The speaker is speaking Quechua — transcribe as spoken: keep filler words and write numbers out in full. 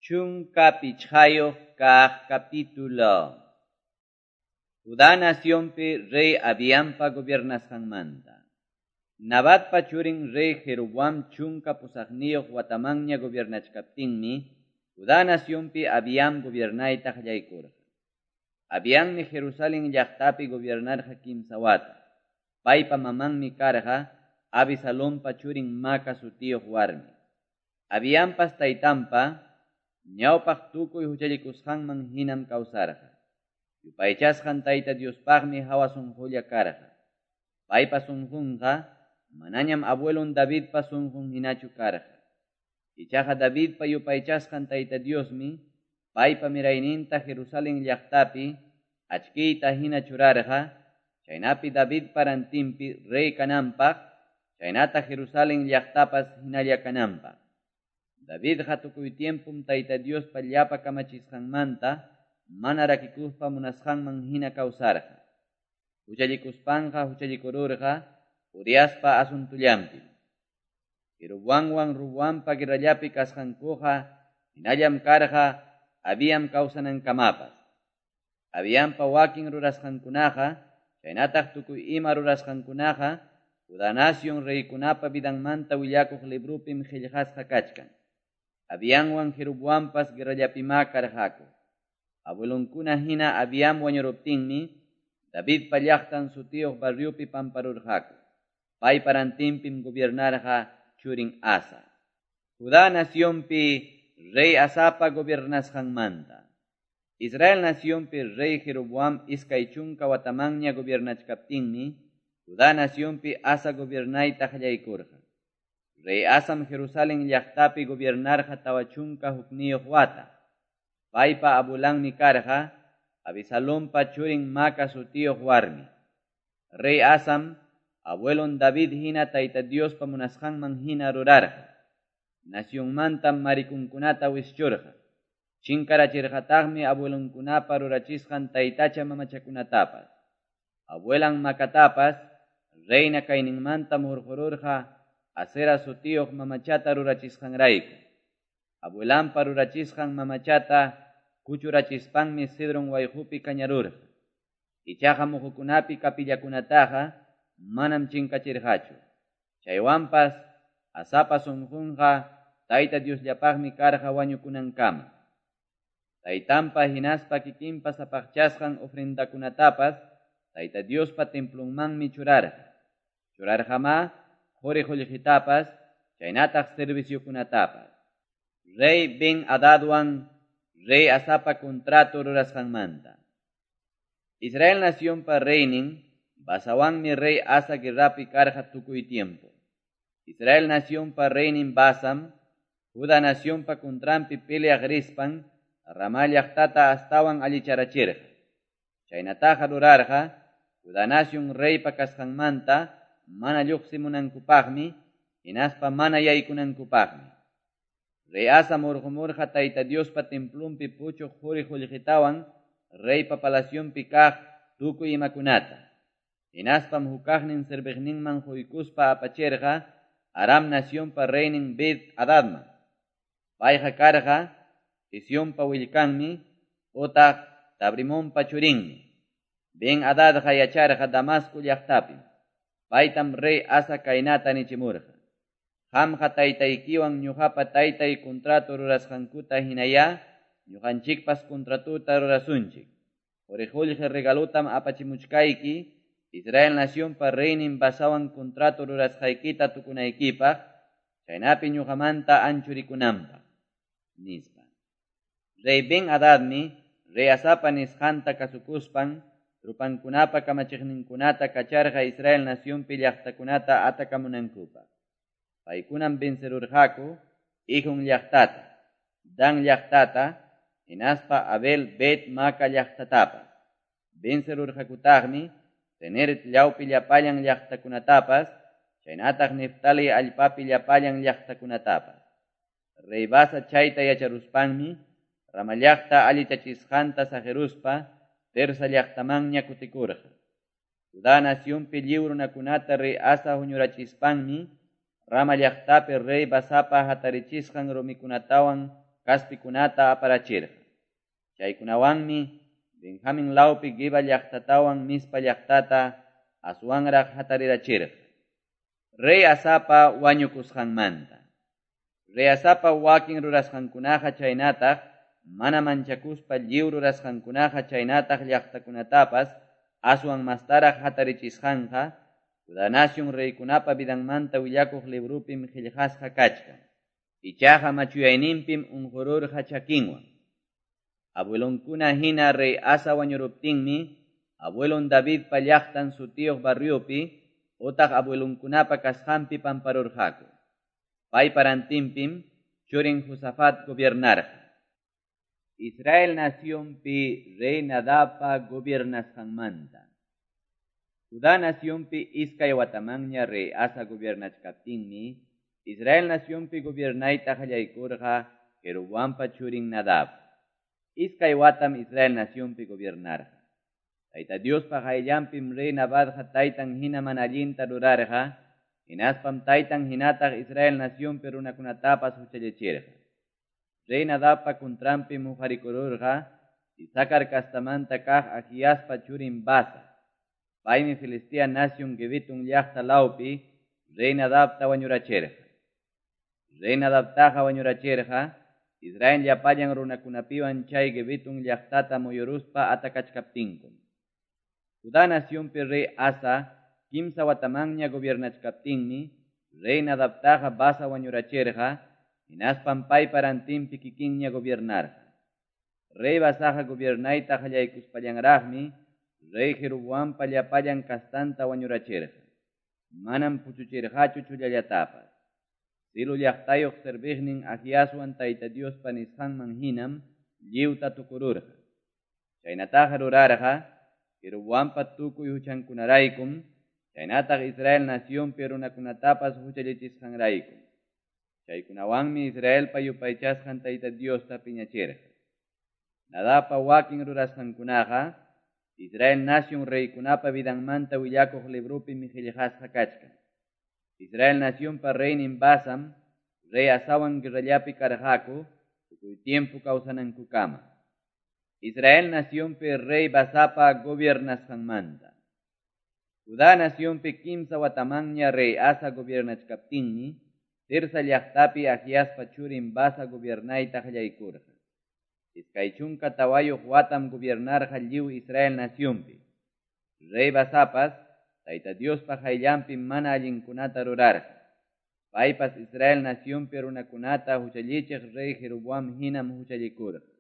Chunka pichqayuq kaq capítulo. Judá nacionpi rey Abiampa gobiernasqanmanta. Nabatpa churin rey Jeroboam chunka pusaqniyuq watamanña gobiernachkaptinmi, Judá nacionpi Abiam gobiernayta qallaykurqa. Abiammi Jerusalén llaqtapi gobiernarqa kimsa wata. Paypa mamanmi karqa Abisalompa churin Maca sutiyuq warmi. Abiampas taytanpa ñawpaq tukuy huchallikusqanman hinam kawsarqa. Yupaychasqan Tayta Diospaqmi hawa sunqulla karqa. Paypa sunqunqa manañam abuelon Davidpa sunqun hinachu karqa. Ichaqa Davidpa yupaychasqan Tayta Diosmi paypa mirayninta Jerusalén llaqtapi achkiyta hina churarqa, chaynapi Davidpa rantinpi rey kananpaq, chaynata Jerusalén llaqtapas hinalla kananpaq. Davidqa tukuy tiempum Tayta Diospa llapa kamachisqanmanta mana rakikuspa munasqanman hina kawsarqa. Huchallikuspanqa huchallikururqa Uriaspa asuntullanpi. Jeroboamwan Roboampa guerrallapi kasqankuqa hinallam karqa Abiam kawsanankamapas. Abiampa wakin rurasqankunaqa chaynataq tukuy ima rurasqankunaqa Judá nación reykunapa vidanmanta willakuq librupim qillqasqa kachkan. Abiamwan Jeroboampas guerrallapimá karqaku. Abuelonkuna hina Abiam wañuruptinmi Davidpa llaqtan sutiyuq barriopi pamparurqaku. Paypa rantinpim gobiernarqa churin Asa. Judá nacionpi rey Asapa gobiernasqanmanta. Israel nacionpi rey Jeroboam iskay chunka watamanña gobiernachkaptinmi Judá nacionpi Asa gobiernayta qallaykurqa. Rey Asam Jerusalén llaqtapi gobiernarqa tawa chunka hukniyuq wata. Paypa abuelanmi karqa Abisalompa churin Maca sutiyuq warmi. Rey Asam abuelon David hina Tayta Diospa munasqanman hina rurarqa. Nacionmantam marikunkunata wischurqa. Chinkarachirqataqmi abuelonkunapa rurachisqan taytacha mamachakunatapas. Abuelan Macatapas reina kayninmantam hurqururqa Asera sutiyuq mamachata rurachisqanrayku. Abuelanpa rurachisqan mamachata kuchurachispanmi Cedron wayqupi kañarurqa. Ichaqa muhukunapi kapillakunataqa manam chinkachirqachu. Chaywanpas Asapa sunqunqa Tayta Diosllapaqmi karqa wañukunankama. Taytanpa hinaspa kikinpa sapaqchasqan ofrendakunatapas Tayta Diospa templonmanmi churarqa. Churarqamá quri qullqitapas chaynataq serviciokunatapas. Rey Ben Hadadwan rey Asapa contrato rurasqanmanta. Israel nacionpa reynin Basawanmi rey Asa guerrapi karqa tukuy tiempo. Israel nacionpa reynin Basam Judá nacionpa contranpi peleaq rispan Ramá llaqtata astawan allicharachirqa. Chaynataqa rurarqa Judá nación reypa kasqanmanta mana lluqsimunankupaqmi hinaspa mana yaykunankupaqmi. Rey Asa murqumurqa Tayta Diospa templonpi puchuq quri qullqitawan reypa palacionpi kaq tukuy imakunata. Hinaspam hukaqnin serviqninman quykuspa apachirqa Aram nacionpa reynin Ben Hadadman. Payqa karqa Hesionpa willkanmi utaq Tabrimonpa churinmi. Ben Hadadqa yacharqa Damasco llaqtapim. Paytam rey Asa kaynata nichimurqa. Qamqa taytaykiwan ñuqapa taytay contrato rurasqankuta hinayá ñuqanchikpas contratota rurasunchik. Quri qullqi regalotam apachimuchkayki Israel nacionpa reynin Basawan contrato rurasqaykita tukunaykipaq, chaynapi ñuqamanta anchurikunanpaq, nispa. Rey Ben Hadadmi rey Asapa nisqanta kasukuspan trupankunapa kamachiqninkunata kacharqa Israel nacionpi llaqtakunata atakamunankupaq. Paykunam vencerurqaku Ijón llaqtata, Dan llaqtata, hinaspa Abel Bet Maca llaqtatapas. Vencerurqakutaqmi Ceneret llawpi llapallan llaqtakunatapas, chaynataq Neftali allpapi llapallan llaqtakunatapas. Rey Basa chayta yacharuspanmi Rama llaqta allichachisqanta saqiruspa Tersa llaqtamanña kutikurqa. Judá nacionpi lliw runakunata rey Asa huñurachispanmi Rama llaqtapi rey Basapa hatarichisqan rumikunatawan kaspikunata aparachirqa. Chaykunawanmi Benjamin lawpi Geba llaqtatawan Mizpa llaqtata aswanraq hatarirachirqa. Rey Asapa wañukusqanmanta. Rey Asapa wakin rurasqankunaqa chaynataq mana manchakuspa lliw rurasqankunaqa chaynataq llaqtakunatapas aswan mastaraq hatarichisqanqa Judá nación reykunapa vidanmanta willakuq librupim qillqasqa kachkan. Ichaqa machuyayninpim unqururqa chakinwan. Abuelonkuna hina rey Asa wañuruptinmi, abuelon Davidpa llaqtan sutiyuq barriopi otaq abuelonkunapa kasqanpi pamparurqaku. Paypa rantinpim churin Josafat gobiernarqa. Israel nacionpi rey Nadabpa gobiernasqanmanta. Judá nacionpi iskay watamanña rey Asa gobiernachkaptinmi, Israel nacionpi gobiernayta qallaykurqa Jeroboampa churin Nadab. Iskay watam Israel nacionpi gobiernarqa. Tayta Diospa qayllanpim rey Nadabqa taytan hina mana allinta rurarqa, hinaspam taytan hinataq Israel nacionpi runakunatapas huchallichirqa. Rey Nadabpa contranpim huqarikururqa Isacar castamanta kaq Ahiaspa churin Basa. Paymi Filistea nación Gibetón llaqta lawpi rey Nadabta wañurachirqa. Rey Nadabtaqa wañurachirqa Israel llapallan runakunapiwan chay Gibetón llaqtata muyuruspa atakachkaptinkum. Judá nacionpi rey Asa kimsa watamanña gobiernachkaptinmi rey Nadabtaqa Basa wañurachirqa hinaspam paypa rantinpi kikinña gobiernarqa. Rey Basaqa gobiernayta qallaykuspallanraqmi rey Jeroboampa llapallan kastanta wañurachirqa. Manam puchuchirqachu chullallatapas. Silo llaqtayuq serviqnin Ahiaswan Tayta Diospa nisqanman hinam lliwta tukururqa. Chaynataqa rurarqa Jeroboampa tukuy huchankunaraykum, chaynataq Israel nacionpi runakunatapas huchallichisqanraykum. Chaykunawanmi Israelpa yupaychasqan Tayta Diosta piñachirqa. Nadabpa wakin rurasqankunaqa Israel nación reykunapa vidanmanta willakuq librupim qillqasqa kachkan. Israel nacionpa reynin Basam, rey Asawan guerrallapi karqaku, tukuy tiempo kawsanankukama. Israel nacionpi rey Basapa gobiernasqanmanta. Judá nacionpi kimsa watamanña rey Asa gobiernachkaptinmi, Tirsa llaqtapi Ahiaspa churin Basa gobiernayta qallaykurqa. Iskay chunka tawayuq watam gobiernarqa lliw Israel nacionpi. Rey Basapas Tayta Diospa qayllanpi mana allinkunata rurarqa. Paypas Israel nacionpi runakunata huchallichiq rey Jeroboam hinam huchallikurqa.